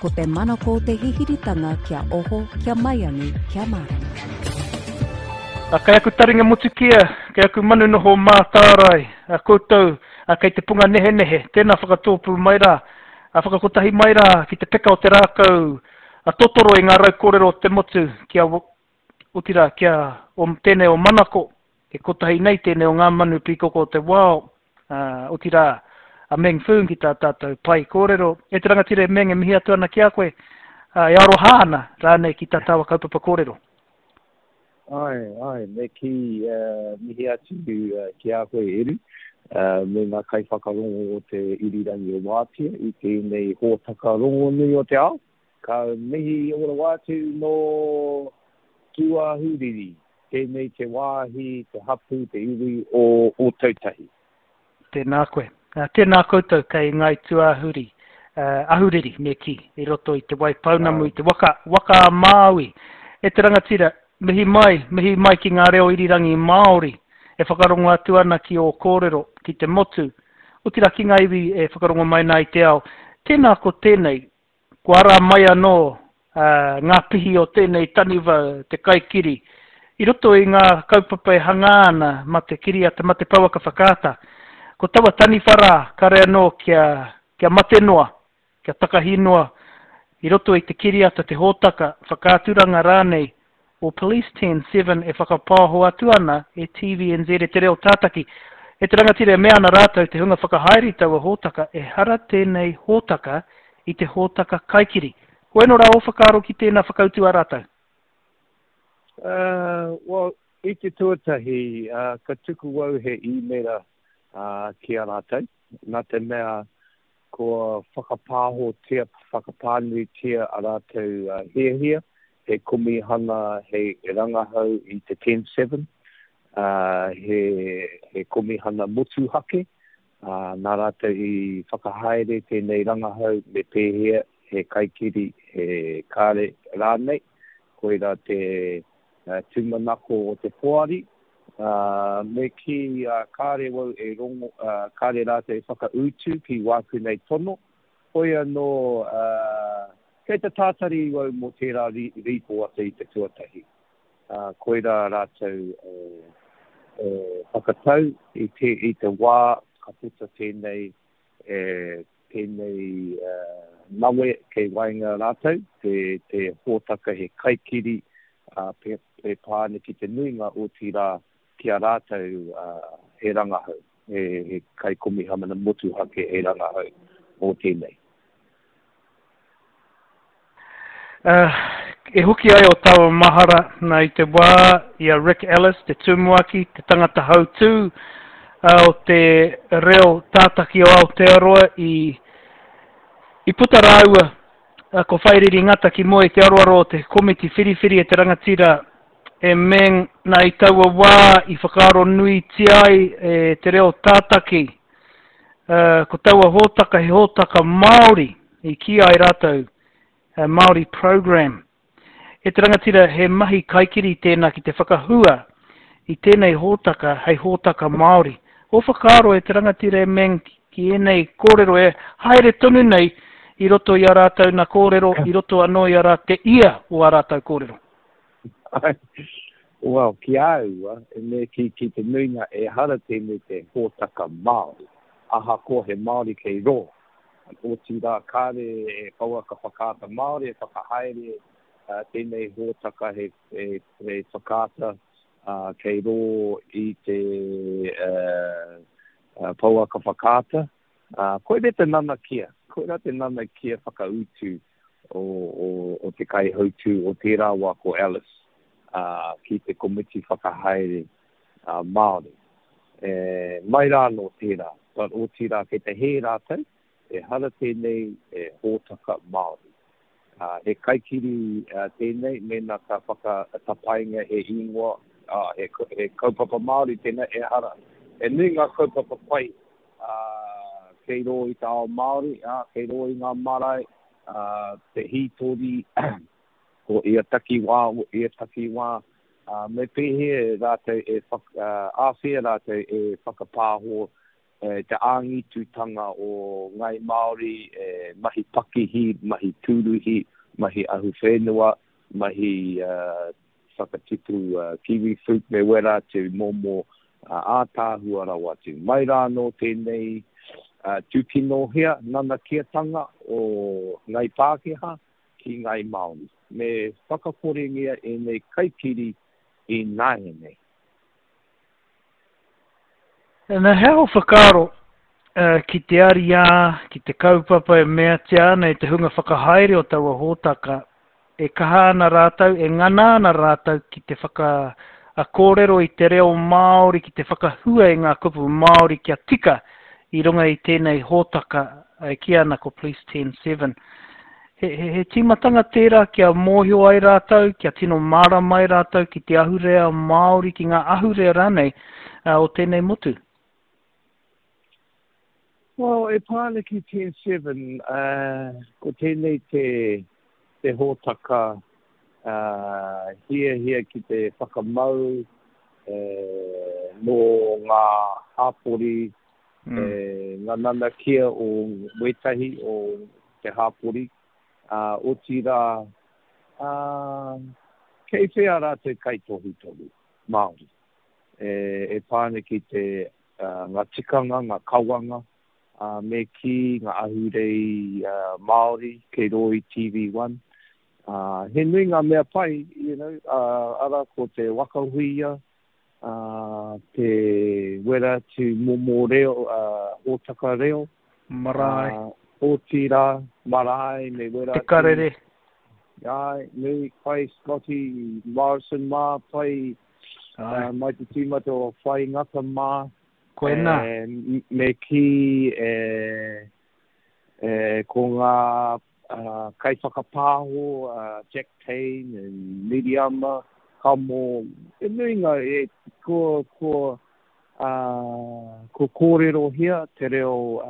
Ko te manako o te hihiritanga kia oho, kia maiangi, kia mārama. A, kei aku taringa motukia, kei aku manu noho mātārae, a koutou, a, kei te punga nehenehe, tēnā whakatōpū mai rā, a, whakakotahi mai rā ki te peka o te rākau, a, totoro i ngā rau kōrero o te motu, kia, otirā, kia, o, tēnei o manako, e kotahi nei tēnei o ngā manu pīkoko o te wao, ā, otirā, a Meng Foon ki tā tātou pae kōrero. E te rangatira e Meng, e mihi atu ana ki a koe, ā, e aroha ana rānei ki tā tāua kaupapa kōrero. Āe, āe, me kī, mihi atu ki a koe Eru, me ngā kaiwhakarongo o te Irirangi o Wātea i tēnei hōtaka rongonui o te ao. Ka mihi ora rawa atu nō Tūāhuriri. Tēnei te wāhi, te hapū, te iwi o Ōtautahi. Tēnā koe. Tēnā koutou kei Ngāi Tūāhuri, Ahuriri me kī, i roto i Te Waipounamu, i te waka, waka a Māui. E te rangatira, mihi mai, mihi mai ki ngā reo irirangi Māori e whakarongo atu ana ki ō kōrero, ki te motu, otirā ki ngā iwi e whakarongo mai nā i te ao. Tēnā ko tēnei, Kua ara mai anō ngā pihi o tēnei taniwha te kaikiri i roto i ngā kaupapa e hangā ana mā te kiriata, mā te pouaka whakaata. Ko taua taniwha rā, kare anō kia, kia mate noa, kia takahi noa i roto i te kiriata, te hōtaka, whakaaturanga rānei o Police Ten Seven e whakapaoho atu ana e TVNZ e te reo tātaki. E te rangatira e mea ana rātou te hunga whakahaere i taua hōtaka ehara tēnei hōtaka i te hōtaka kaikiri. Koeno rā ō whakaaro ki tēnā whakautu a rātou? Uh, well, i te tuatahi, uh, ka tuku au he īmera uh, ki a rātou, nā te mea Kua whakapāhotia, whakapānuitia a rātou hiahia, he komihana hei rangahau i te Ten Seven, he, he komihana motuhake, nā rātou i whakahaere tēnei rangahau me pēhea, he kaikiri, he kare rānei, koirā te tūmanako o te poari, ā, me kī, ā, kāre wau e rongo, ā, kāre rātou e whakautu ki wāku nei tono, hoi anō, ā, kei te tātari wau mō tērā rīpoata i te tuatahi, ā, koirā rātou e, e whakatau i te, i te wā ka puta tēnei, e, tēnei nawe kei waenga rātou, te, te hōtaka he kaikiri, ā, e pā ana ki te nuinga, otirā ki a rātou he rangahau, he kaikomihana motuhake he rangahau mō tēnei. E hoki ai o taua mahara nā i te wā i a Rick Ellis, te tumuaki, te tangata hautū o te reo tātaki o Aotearoa i, i puta rāua ko Whairiri Ngata ki mua i te aroaro o te komiti whiriwhiri e te rangatira e Meng nā i taua wā i whakaaro nuitia ai e te reo tātaki ko taua hōtaka he hōtaka Māori i kī ai rātou a Māori Programme. E te rangatira, he mahi kaikiri tēnā ki te whakahua i tēnei hōtaka hei hōtaka Māori. Ō whakaaro e te rangatira e Meng ki ēnei kōrero e haere tonu nei i roto i a rātou na kōrero, i roto anō i a rā te ia o ā rātou kōrero. Well, ki a au, e me kī ki te nuinga ehara tēnei te hōtaka Māori, ahakoa he Māori kei rō. Otirā, kāre e pouaka whakaata Māori e whakahaere tēnei hōtaka he whakaata kei rō i te pouaka whakaata. Koirā te nanakia, koirā te nanakia whakautu o te kaihautū o tērā wā ko Ellis ki te komiti whakahaere Māori. E, mai rā anō tērā, but otirā kei te hē rātou, ehara tēnei e hōtaka Māori. He kaikiri tēnei mēnā ka whakatapainga he ingoa, he, he kaupapa Māori tēnei, ehara. He nui ngā kaupapa pai kei rō i te ao Māori, kei rō i ngā marae, te hītori, o ia takiwā, o ia takiwā, ā, me pēhea rātou e whaka, āwhea rātou e whakapāho Te āngitutanga o Ngāi Māori, mahi pakihi, mahi tūruhi, mahi ahuwhenua, mahi whakatipu kiwi fruit me wera atu momo ātaahua rawa atu. Mai rā anō tēnei tūkinohia nanakiatanga o Ngāi Pākehā ki Ngāi Māori. Me whakakorengia ēnei kaikiri ināianei. Na, he aha ō whakaaro ki te ariā, ki te kaupapa e meatia ana e te hunga whakahaere o taua hōtaka, e kaha ana rātou, e ngana ana rātou ki te whakakōrero i te reo Māori, ki te whakahua i ngā kupu Māori kia tika i runga i tēnei hōtaka e kīia ana ko Police Ten Seven. He, he, he tīmatanga tērā kia mōhio ai rātou, kia tino mārama ai rātou ki te ahurea Māori, ki ngā ahurea rānei uh, o tēnei motu. Well, e pā ana ki Ten Seven, uh, ko tēnei te, te hōtaka uh, hiahia ki te whakamau eh, mō ngā hāpori, mm. eh, ngā nanakia o wētahi o te hāpori, ā, otirā, ā, kei whea rātou kaitohutohu Māori e, e pā ana ki te, ā, ngā tikanga, ngā kawanga, ā, me kī, ngā ahurei, ā, Māori kei rō i TV One. Ā, he nui ngā mea pai, you know, ā, arā ko te waka huia, ā, te wera atu momo reo, ā, hōtaka reo, Marae. Ā, otirā, marae me wera atu. Te Karere. Āe, nui, pai Scotty Morrison mā, pai Āe. mai te tīmata o Whai Ngata mā. Koinā. E, me kī, e, e, ko ngā uh, kaiwhakapāho, uh, Jack Tame and Miriama, Kamo, e nui ngā, e, ko, ko, ā, kua kōrerohia te reo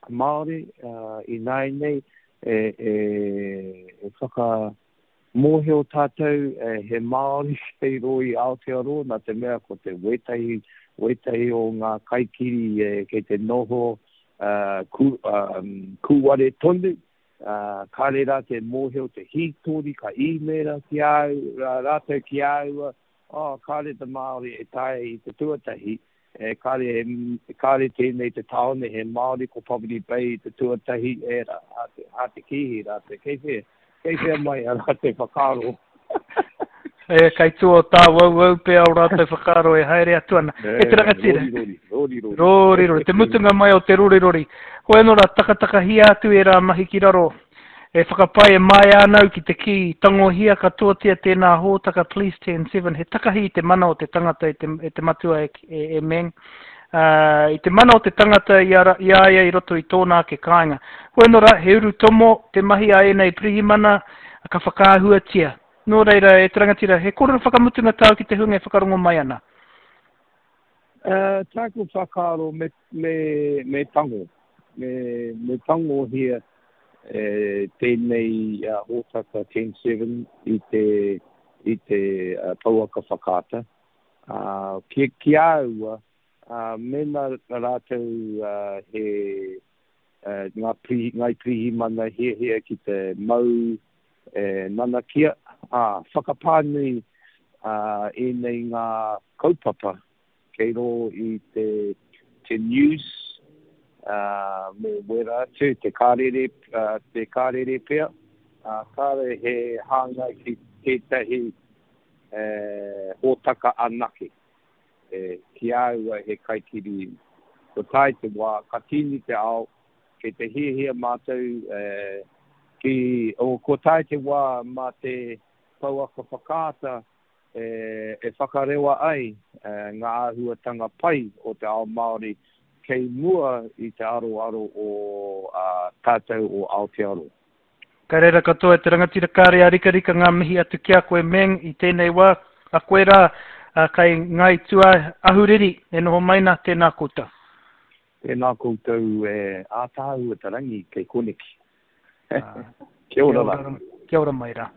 Māori ināianei e, e, e whakamōhio tātou he Māori kei rō i Aotearoa, nā te mea ko te wētahi, wētahi o ngā kaikiri e, kei te noho uh, ku, um, kūware tonu, uh, kāre rātou e mōhio te hītori, ka īmēra ki a au, rātou ki a au, Oh, kāre te Māori e taea i te tuatahi, e kāre, kāre tēnei te tāone he Māori ko Poverty Bay i te tuatahi, e rā, hā te, hā te kīhi rātou, kei whea, kei whea mai a rātou whakaaro. E, kei tua o tāwauwau pea o rātou whakaaro e haere atu ana. E te rangatira. Rori, rori, rori, rori. Rori, rori. Te mutunga mai o te rori, rori. Hoi anō rā, takatakahia atu ērā mahi ki raro. E whakapae e māia ana au ki te kī, tangohia katoatia tēnā hōtaka Police Ten Seven, he takahi i te mana o te tangata e te, e te matua e, e, e Meng, ā, i te mana o te tangata i a, i a ia i roto i tōna ake kāinga. Hoi anō rā, he urutomo te mahi a ēnei pirihimana, ka whakaahuatia. Nō reira, e te rangatira, he kōrero whakamutunga tāu ki te hunga e whakarongo mai ana? Uh, tāku whakaaro me, me, me tango, me, me tangohia e, tēnei uh, hōtaka Ten Seven i te, i te uh, pouaka whakaata. Uh, ki, ki a aua, uh, mēnā rātou uh, he uh, ngā pri, ngai pirihimana hiahia ki te mau e nanakia, ā, whakapānui uh, ēnei ngā kaupapa kei rō i te, te news, ā, me wera atu, te karere, ā, te karere pea, ā, kāre he hāngai ki tētahi, e, hōtaka anake. E, ki a au he kaikiri, kua tae te wā, ka tīni te ao, kei te hiahia mātou, e, ki, o, kua tae te wā mā te pouaka whakaata, e whakarewa ai ngā āhuatanga pai o te ao Māori kei mua i te aroaro o tātou o Aotearoa. Ka reira katoa e te rangatira kāre a rikarika ngā mihi atu ki a koe Meng i tēnei wā, a koe rā kai Ngāi Tūāhuriri e noho mai nā, tēnā koutou. Tēnā koutou e ātaahua te rangi kei koneki. Kia ora rā. Kia ora mai rā.